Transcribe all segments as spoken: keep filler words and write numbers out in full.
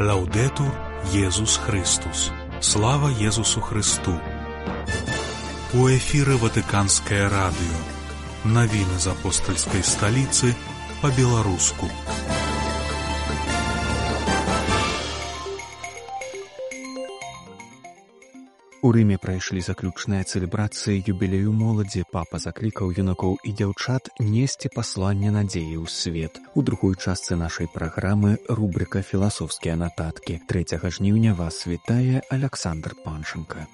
Лаўдэтур Езус Христус. Слава Езусу Христу. У эфіры Ватыканскае радыё. Навіны з апостальскай сталіцы па-беларуску. У Рыме прайшлі заключныя цэлебрацыі юбілею моладзі. Папа заклікаў юнакоў і дзяўчат несці пасланне надзеі ў свет. У другой частцы нашай праграмы рубрыка «Філасофскія нататкі». трэцяга жніўня вас вітае Аляксандр Панченка.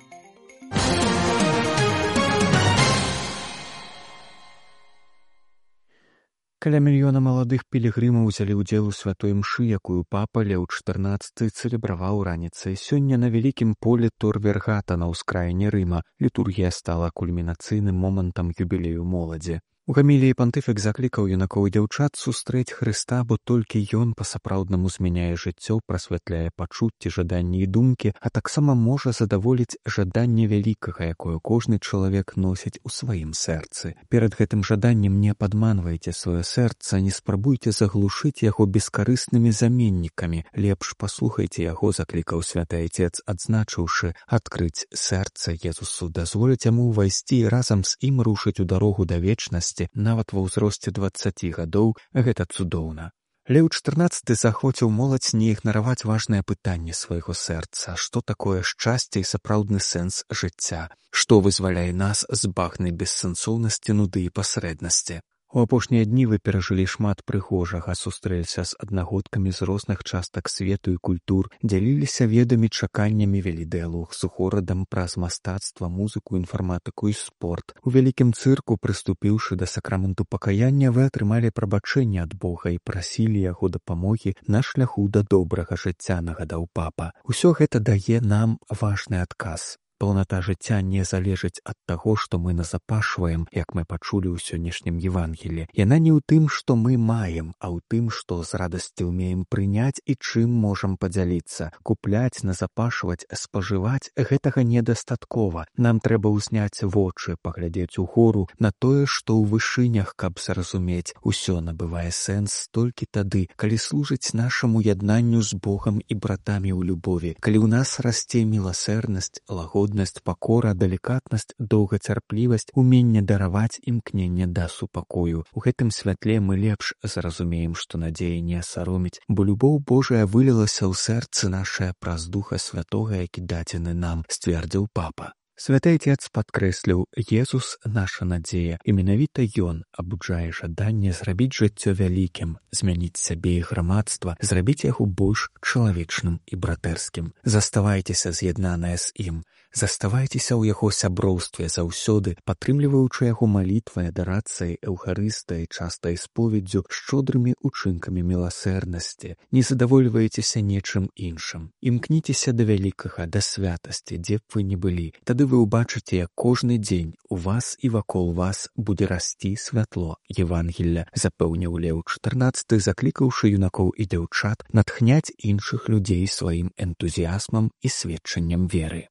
Каля мільёна маладых пілігрымаў узялі ўдзел у святой мшы, якую папа Леў чатырнаццаты цэлебраваў раніцай сёння на вялікім полі Тор Вергата на ўскраіне Рыма. Літургія стала кульмінацыйным момантам юбілею моладзі. У гаміліі пантыфік заклікаў юнакоў і дзяўчат сустрэць Хрыста, бо толькі ён па-сапраўднаму змяняе жыццё, прасвятляе пачуцці, жаданні і думкі, а таксама можа задаволіць жаданне вялікага, якое кожны чалавек носіць у сваім сэрцы. Перад гэтым жаданнем не падманвайце сваё сэрца, не спрабуйце заглушыць яго бескарыснымі заменнікамі. Лепш паслухайце яго, заклікаў святы айцец, адзначыўшы: адкрыць сэрца Езусу, дазволіць яму ўвайсці і разам з ім рушыць у дарогу да вечнасці. Нават ва ўзросце дваццаці гадоў гэта цудоўна. Леў чатырнаццаты захвоціў моладзь не ігнараваць важнае пытанне свайго сэрца: што такое шчасце і сапраўдны сэнс жыцця? Што вызваляе нас з багнай бессэнсоўнасці, нуды і пасрэднасці? У апошнія дні вы перажылі шмат прыгожага, сустрэліся з аднагодкамі з розных частак свету і культур, дзяліліся ведамі, чаканнямі, вялі дыялог з горадам праз мастацтва, музыку, інфарматыку і спорт. У вялікім цырку, прыступіўшы да сакраменту пакаяння, вы атрымалі прабачэнне ад Бога і прасілі яго дапамогі на шляху да добрага жыцця, нагадаў папа. Усё гэта дае нам важны адказ. Паўната жыцця не залежыць ад таго, што мы назапашваем, як мы пачулі ў сённяшнім Евангелі. Яна не ў тым, што мы маем, а ў тым, што з радасцю ўмеем прыняць і чым можам падзяліцца. Купляць, назапашваць, спажываць — гэтага недастаткова. Нам трэба ўзняць вочы, паглядзець угору на тое, што ў вышынях, каб зразумець. Усё набывае сэнс толькі тады, калі служыць нашаму яднанню з Богам і братамі ў любові, калі ў нас расце міласэрнасць, лагоднасць, пакора, далікатнасць, доўгацярплівасць, уменне дараваць, імкненне да супакою. У гэтым святле мы лепш зразумеем, што надзея не сароміць, бо любоў Божая вылілася ў сэрцы нашае праз Духа Святога, які дадзены нам, сцвердзіў папа. Святы айцец падкрэсліў: Езус — наша надзея, і менавіта ён абуджае жаданне зрабіць жыццё вялікім, змяніць сябе і грамадства, зрабіць яго больш чалавечным і братэрскім. Заставайцеся з'яднаныя з ім, заставайцеся ў яго сяброўстве заўсёды, падтрымліваючы яго малітвай, адарацыяй, эўхарыстыяй, частай споведдзю, шчодрымі учынкамі міласэрнасці. Не задавольвайцеся нечым іншым. Імкніцеся да вялікага, да святасці, дзе б вы не былі. Тады вы ўбачыце, як кожны дзень у вас і вакол вас будзе расці святло Евангелля, запэўніў Леў чатырнаццаты, заклікаўшы юнакоў і дзяўчат натхняць іншых людзей сваім энтузіязмам і сведчаннем веры.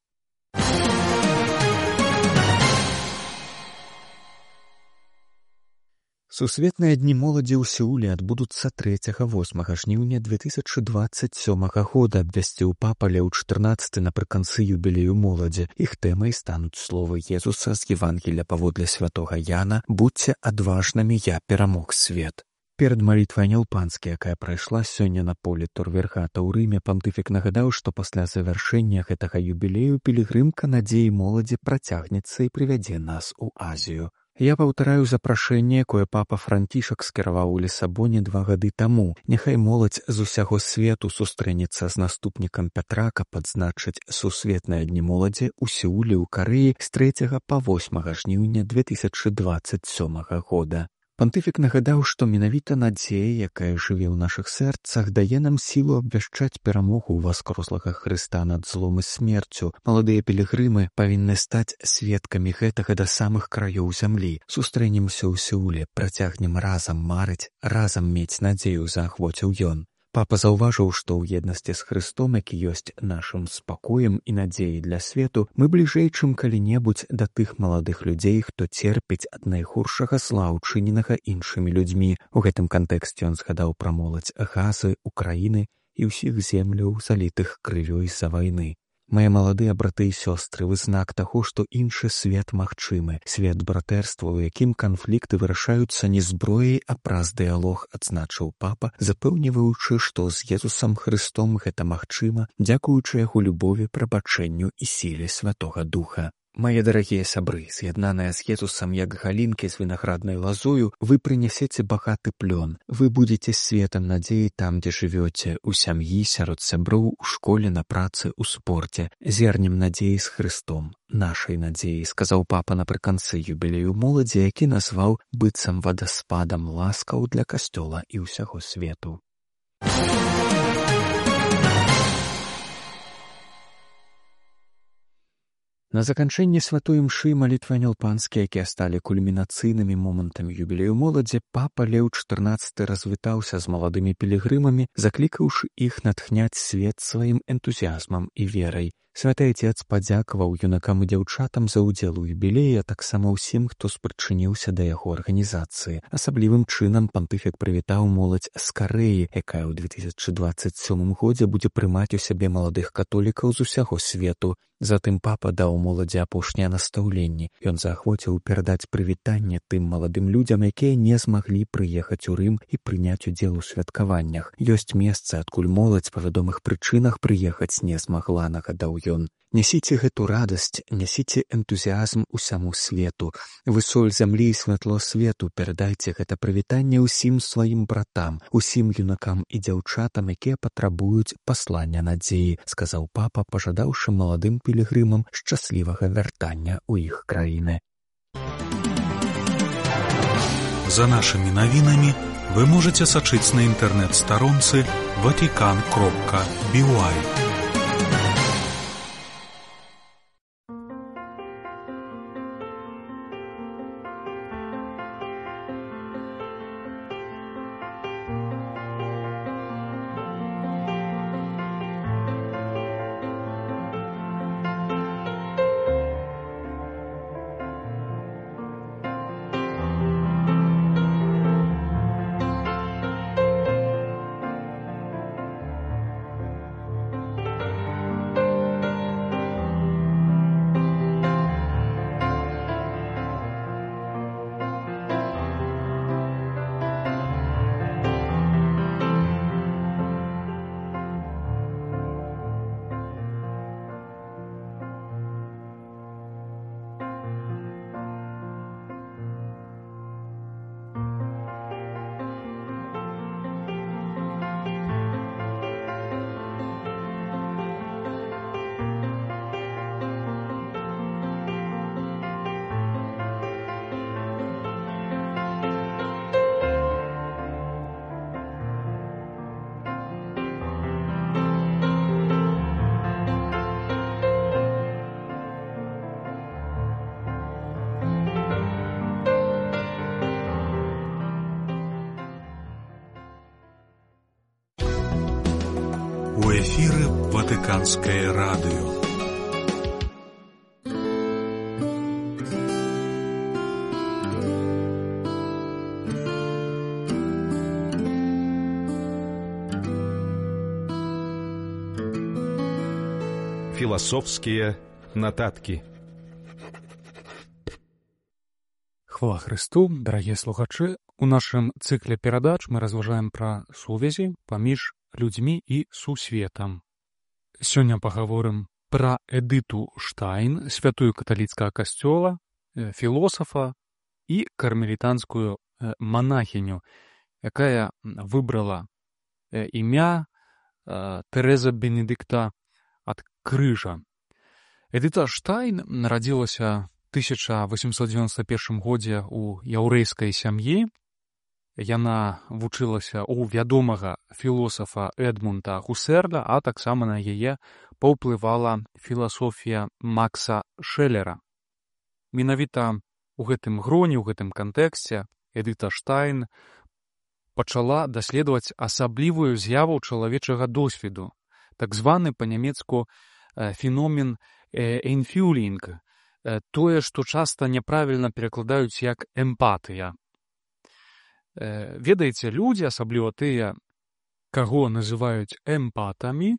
Сусветныя дні моладзі ў Сеуле адбудуцца трэцяга — восьмага жніўня две тысячы дваццаць сёмага года, абвясціў папа Леў чатырнаццаты напрыканцы юбілею моладзі. Іх тэмай стануць словы Езуса з Евангелля паводле святога Яна: «Будзьце адважнымі, я перамог свет». Перад малітвай Анялпанскі, якая прайшла сёння на полі Тор Вергата ў Рыме, пантыфік нагадаў, што пасля завяршэння гэтага юбілею пілігрымка надзеі моладзі працягнецца і прывядзе нас у Азію. Я паўтараю запрашэнне, якое папа Францішак скіраваў у Лісабоне два гады таму. Няхай моладзь з усяго свету сустрэнецца з наступнікам Пятра, каб адзначыць сусветныя дні моладзі ў Сеуле ў Карэі з трэцяга па восьмага жніўня две тысячы дваццаць сёмага года. Пантыфік нагадаў, што менавіта надзея, якая жыве ў нашых сэрцах, дае нам сілу абвяшчаць перамогу ўваскрослага Хрыста над злом і смерцю. Маладыя пілігрымы павінны стаць сведкамі гэтага да самых краёў зямлі. Сустрэнемся ў Сеуле, працягнем разам марыць, разам мець надзею, заахвоціў ён. Папа заўважыў, што ў еднасці з Хрыстом, які ёсць нашым спакоем і надзеяй для свету, мы бліжэй, чым калі-небудзь да тых маладых людзей, хто церпіць ад найгоршага зла, учыненага іншымі людзьмі. У гэтым кантэксце ён згадаў пра моладзь Газы, Украіны і ўсіх земляў, залітых крывёй з-за вайны. Мае маладыя браты і сёстры, вы знак таго, што іншы свет магчымы, свет братэрства, у якім канфлікты вырашаюцца не зброяй, а праз дыялог, адзначыў папа, запэўніваючы, што з Езусам Хрыстом гэта магчыма, дзякуючы яго любові, прабачэнню і сіле Святога Духа. Мае дарагія сябры, з'яднаныя з Езусам як галінкі з вінаграднай лазою, вы прынясеце багаты плён. Вы будзеце светам надзеі там, дзе жывёце, у сям'і, сярод сяброў, у школе, на працы, у спорце. Зернем надзеі з Хрыстом, нашай надзеі, сказаў папа напрыканцы юбілею моладзі, які назваў быццам вадаспадам ласкаў для касцёла і ўсяго свету. На заканчэнні святой імшы малітвы анёл-панскі, якія сталі кульмінацыйнымі момантамі юбілею моладзі, папа Леў чатырнаццаты развітаўся з маладымі пілігрымамі, заклікаўшы іх натхняць свет сваім энтузіязмам і верай. Святы Отец падзякаваў юнакам і дзяўчатам за ўдзел у юбілеі, а таксама ўсім, хто спрычыніўся да яго арганізацыі. Асаблівым чынам пантыфік прывітаў моладзь з Карэі, якая ў две тысячы дваццаць сёмым годзе будзе прымаць у сябе маладых католікаў з усяго свету. Затым папа даў моладзі апошнія настаўленні. Ён заахвоціў перадаць прывітанне тым маладым людзям, якія не змаглі прыехаць у Рым і прыняць удзел у святкаваннях. Ёсць месца, адкуль моладзь па вядомых прычынах прыехаць не змагла, нагадаў ён. Нясіце гэту радасць, нясіце энтузіязм усяму свету. Вы соль зямлі і святло свету, перадайце гэта прывітанне ўсім сваім братам, усім юнакам і дзяўчатам, якія патрабуюць паслання надзеі, сказаў папа, пажадаўшы маладым пілігрымам шчаслівага вяртання ў іх краіны. За нашымі навінамі вы можаце сачыць на інтэрнэт-старонцы ватикан кропка би уай. У эфіры Ватыканскае радыё. Філасофскія нататкі. Хвала Христу, дарагія слухачы, у нашым цыкле перадач мы разважаем пра сувязі паміж людзьмі і сусветам. Сёння пагаворым пра Эдыту Штайн, святую каталіцкага касцёла, філосафа і кармелітанскую манахіню, якая выбрала імя Тэрэза Бенедыкта ад крыжа. Эдыта Штайн нарадзілася тысяча восемьсот девяносто первом годзе ў яўрэйскай сям'і. Яна вучылася ў вядомага філосафа Эдмунда Гусерля, а таксама на яе паўплывала філасофія Макса Шэлера. Менавіта ў гэтым гроне, ў гэтым кантэксце Эдыта Штайн пачала даследаваць асаблівую з'яву чалавечага досведу, так званы па-нямецку феномен «энфюлінг», тое, што часта няправільна перакладаюць як эмпатыя. Ведаеце, людзі, асабліва тыя, каго называюць эмпатамі,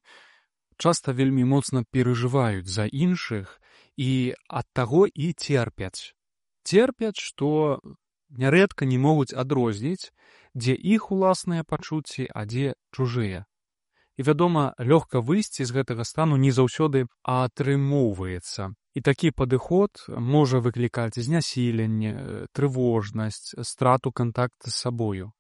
часта вельмі моцна перажываюць за іншых і ад таго і церпяць. Церпяць, што нярэдка не могуць адрозніць, дзе іх уласныя пачуцці, а дзе чужыя. І, вядома, лёгка выйсці з гэтага стану не заўсёды атрымоўваецца. І такі падыход можа выклікаць знясіленне, трывожнасць, страту кантакту з сабою.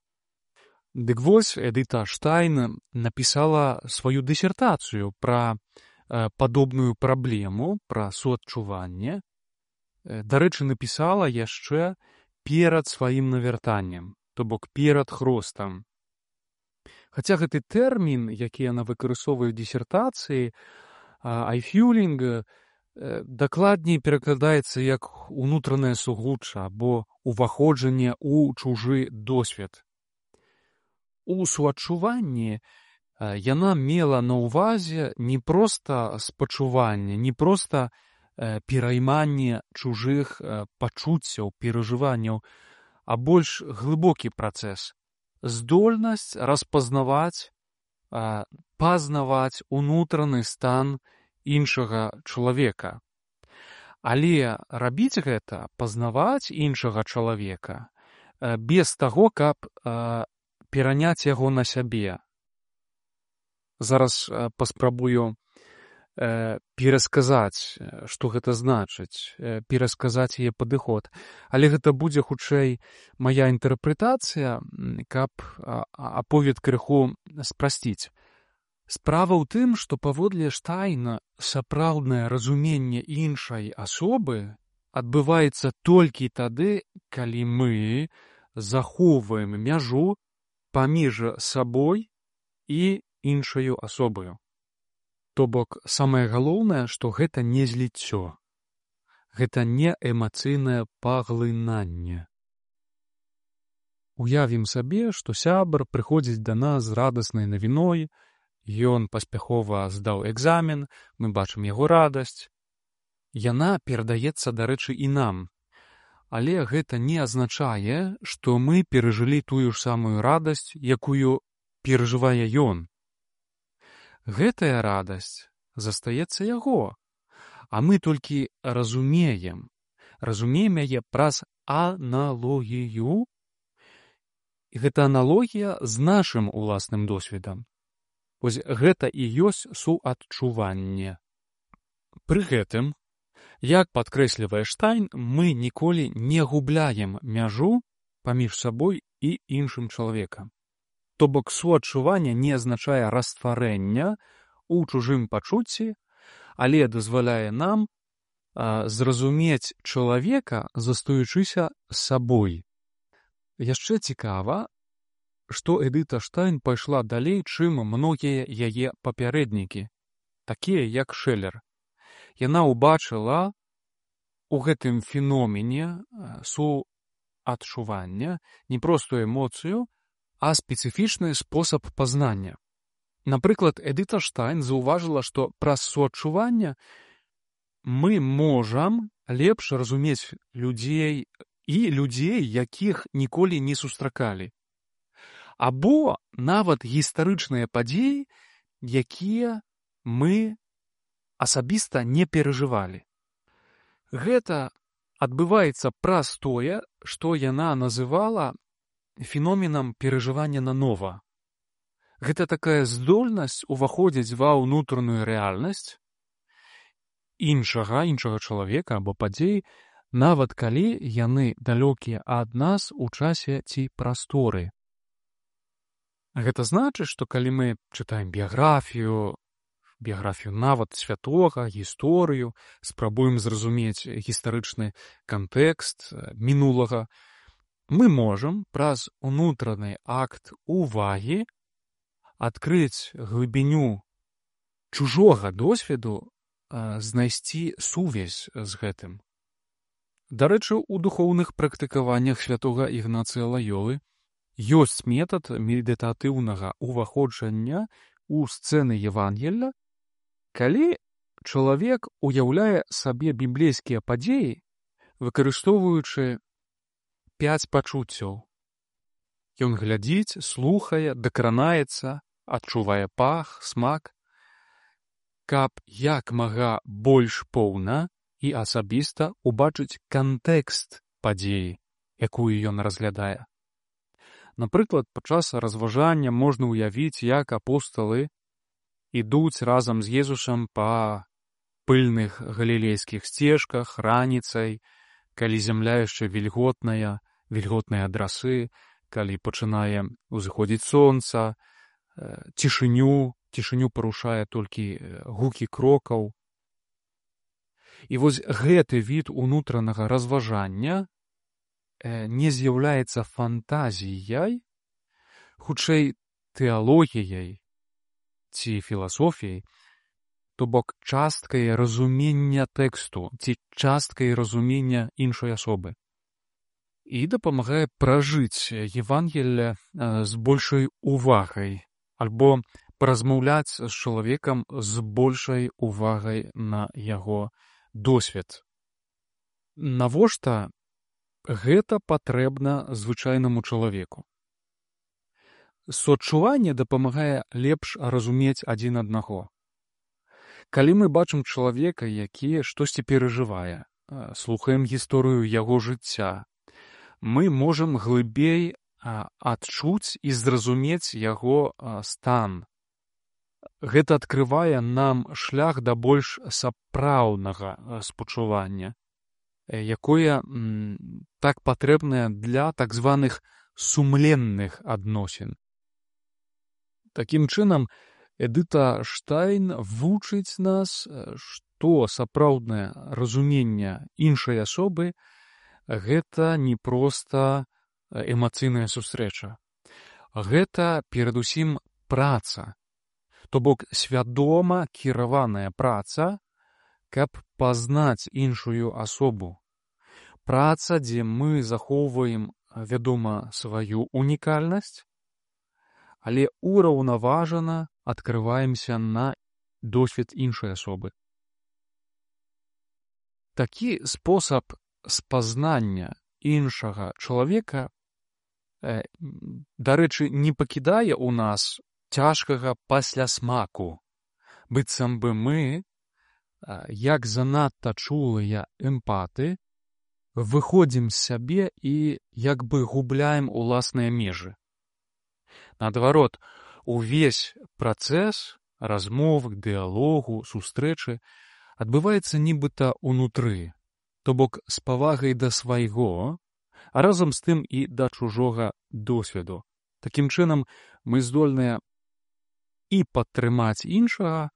Дык вось Эдыта Штайн напісала сваю дысертацыю пра э, падобную праблему, пра суадчуванне. Дарэчы, напісала яшчэ перад сваім навяртаннем, то бок перад хростам. Хаця гэты тэрмін, які яна выкарыстоўвае ў дысертацыі, айфюлінг, дакладней перакладаецца як унутранае сугучча або уваходжанне ў чужы досвед. У суадчуванні яна мела на ўвазе не проста спачуванне, не проста перайманне чужых пачуццяў, перажыванняў, а больш глыбокі працэс. Здольнасць распазнаваць, пазнаваць унутраны стан іншага чалавека. Але рабіць гэта, пазнаваць іншага чалавека, без таго, каб пераняць яго на сябе. Зараз паспрабую перасказаць, што гэта значыць, перасказаць яе падыход. Але гэта будзе хутчэй мая інтэрпрэтацыя, каб аповед крыху спрасціць. Справа ў тым, што паводле Штайна сапраўднае разуменне іншай асобы адбываецца толькі тады, калі мы захоўваем мяжу паміж сабой і іншаю асобаю. То бок, самае галоўнае, што гэта не зліццё. Гэта не эмацыйнае паглынанне. Уявім сабе, што сябар прыходзіць да нас з радаснай навіной, ён паспяхова здаў экзамен, мы бачым яго радасць. Яна перадаецца, дарэчы, і нам. Але гэта не азначае, што мы перажылі тую ж самую радасць, якую перажывае ён. Гэтая радасць застаецца яго, а мы толькі разумеем, разумеем яе праз аналогію. І гэта аналогія з нашым уласным досведам. Вось гэта і ёсць суадчуванне. Пры гэтым, як падкрэслівае Штайн, мы ніколі не губляем мяжу паміж сабой і іншым чалавекам. То бок суадчуванне не азначае растварэння ў чужым пачуцці, але дазваляе нам а, зразумець чалавека, застаючыся сабой. Яшчэ цікава, што Эдыта Штайн пайшла далей, чым многія яе папярэднікі, такія як Шэлер. Яна ўбачыла у гэтым феномене суадчування не простую эмоцыю, а спецыфічны спосаб пазнання. Напрыклад, Эдыта Штайн заўважыла, што праз суадчуванне мы можам лепш разумець людзей і людзей, якіх ніколі не сустракалі. Або нават гістарычныя падзеі, якія мы асабіста не перажывалі. Гэта адбываецца праз тое, што яна называла феноменам перажывання нанова. Гэта такая здольнасць уваходзіць ва ўнутраную рэальнасць іншага, іншага чалавека або падзей, нават калі яны далёкія ад нас у часе ці прасторы. Гэта значыць, што калі мы чытаем біяграфію, біяграфію нават святога, гісторыю, спрабуем зразумець гістарычны кантэкст мінулага, мы можам праз унутраны акт увагі адкрыць глыбіню чужога досведу, знайсці сувязь з гэтым. Дарэчы, у духоўных практыкаваннях святога Ігнацыя Лаёлы ёсць метад медытатыўнага уваходжання ў сцэны Евангелля, калі чалавек уяўляе сабе біблейскія падзеі, выкарыстоўваючы пяць пачуццяў. Ён глядзіць, слухае, дакранаецца, адчувае пах, смак, каб як мага больш поўна і асабіста ўбачыць кантэкст падзеі, якую ён разглядае. Напрыклад, падчас разважання можна ўявіць, як апосталы ідуць разам з Езусам па пыльных галілейскіх сцежках раніцай, калі зямля яшчэ вільготная, вільготныя адрасы, калі пачынае ўзыходзіць сонца, цішыню, цішыню парушае толькі гукі крокаў. І вось гэты від унутранага разважання не з'яўляецца фантазіяй, хутчэй тэалогіяй ці філасофіяй, то бок часткай разумення тэксту ці часткай разумення іншай асобы. І дапамагае пражыць Евангелле з большай увагай альбо паразмаўляць з чалавекам з большай увагай на яго досвед. Навошта гэта патрэбна звычайнаму чалавеку? Соадчуванне дапамагае лепш разумець адзін аднаго. Калі мы бачым чалавека, які штосьці перажывае, слухаем гісторыю яго жыцця, мы можам глыбей адчуць і зразумець яго стан. Гэта адкрывае нам шлях да больш сапраўднага спачування, якое так патрэбнае для так званых сумленных адносін. Такім чынам, Эдыта Штайн вучыць нас, што сапраўднае разуменне іншай асобы гэта не проста эмацыйная сустрэча. Гэта перадусім праца, то бок свядома кіраваная праца, каб пазнаць іншую асобу. Праца, дзе мы захоўваем, вядома, сваю унікальнасць, але ураўнаважана адкрываемся на досвед іншай асобы. Такі спосаб спазнання іншага чалавека, дарэчы, не пакідае ў нас цяжкага паслясмаку, быццам бы мы, як занадта чулыя эмпаты, выходзім з сябе і як бы губляем уласныя межы. Наадварот, увесь працэс размовы, дыялогу, сустрэчы адбываецца нібыта ўнутры, то бок з павагай да свайго, а разам з тым і да чужога досведу. Такім чынам, мы здольныя і падтрымаць іншага,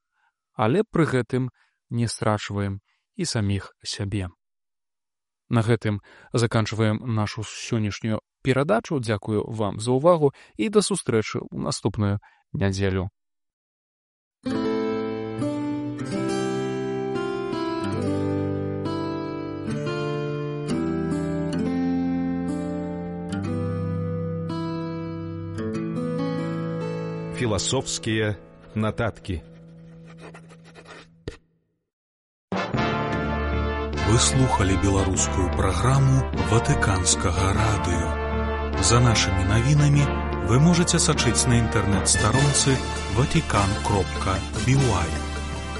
але пры гэтым не страчваем і саміх сябе. На гэтым заканчваем нашу сённяшнюю перадачу. Дзякую вам за ўвагу і да сустрэчы ў наступную нядзелю. Философские нотатки. Вы слухали беларускую праграму Ватыканскага радыё. За нашымі навінамі вы можаце сачыць на інтэрнэт-старонцы ватикан кропка би уай.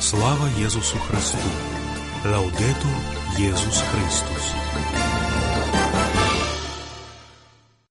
Слава Езусу Христу! Лаудетур Езус Христус!